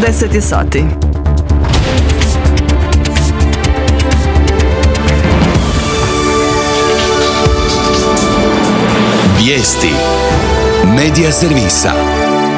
10 je sati. Vijesti Medija servisa.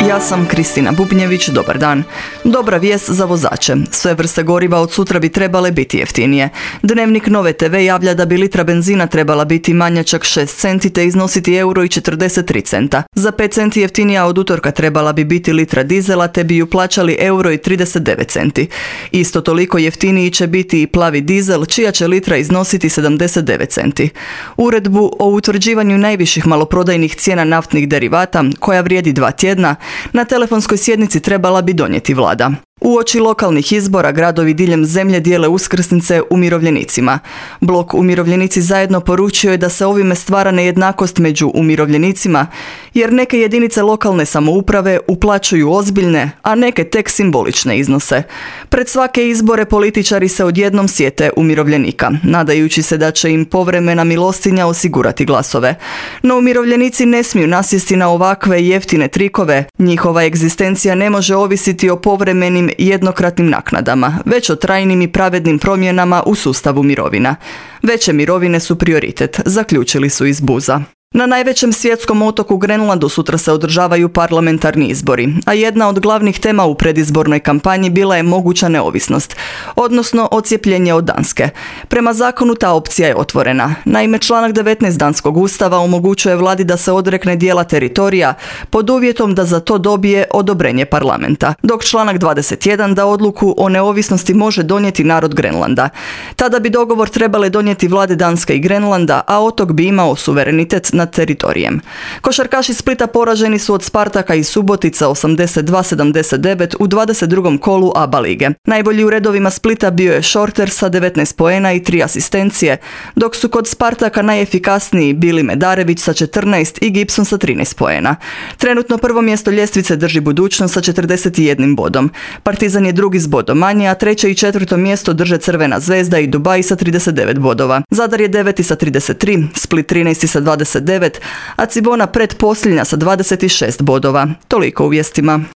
Ja sam Kristina Bubnjević, dobar dan. Dobra vijest za vozače. Sve vrste goriva od sutra bi trebale biti jeftinije. Dnevnik Nove TV javlja da bi litra benzina trebala biti manja čak 6 centi te iznositi €1,43. Za 5 centi jeftinija od utorka trebala bi biti litra dizela te bi ju plaćali €1,39. Isto toliko jeftiniji će biti i plavi dizel čija će litra iznositi 79 centi. Uredbu o utvrđivanju najviših maloprodajnih cijena naftnih derivata, koja vrijedi 2 tjedna, na telefonskoj sjednici trebala bi donijeti vlada. Uoči lokalnih izbora gradovi diljem zemlje dijele uskrsnice umirovljenicima. Blok Umirovljenici zajedno poručio je da se ovime stvara nejednakost među umirovljenicima, jer neke jedinice lokalne samouprave uplaćuju ozbiljne, a neke tek simbolične iznose. Pred svake izbore političari se odjednom sjete umirovljenika, nadajući se da će im povremena milostinja osigurati glasove. No umirovljenici ne smiju nasjesti na ovakve jeftine trikove. Njihova egzistencija ne može ovisiti o povremenim jednokratnim naknadama, već o trajnim i pravednim promjenama u sustavu mirovina. Veće mirovine su prioritet, zaključili su iz BUZ-a. Na najvećem svjetskom otoku Grenlandu sutra se održavaju parlamentarni izbori, a jedna od glavnih tema u predizbornoj kampanji bila je moguća neovisnost, odnosno odcijepljenje od Danske. Prema zakonu ta opcija je otvorena. Naime, članak 19 danskog ustava omogućuje vladi da se odrekne dijela teritorija pod uvjetom da za to dobije odobrenje parlamenta, dok članak 21 da odluku o neovisnosti može donijeti narod Grenlanda. Tada bi dogovor trebale donijeti vlade Danske i Grenlanda, a otok bi imao suverenitet nad teritorijem. Košarkaši Splita poraženi su od Spartaka i Subotica 82-79 u 22. kolu ABA lige. Najbolji u redovima Splita bio je Šorter sa 19 poena i 3 asistencije, dok su kod Spartaka najefikasniji bili Medarević sa 14 i Gibson sa 13 poena. Trenutno prvo mjesto ljestvice drži Budućnost sa 41 bodom. Partizan je drugi s bodom manje, a treće i četvrto mjesto drže Crvena zvezda i Dubai sa 39 bodova. Zadar je 9. sa 33, Split 13. sa 29, a Cibona pretposljednja sa 26 bodova. Toliko u vijestima.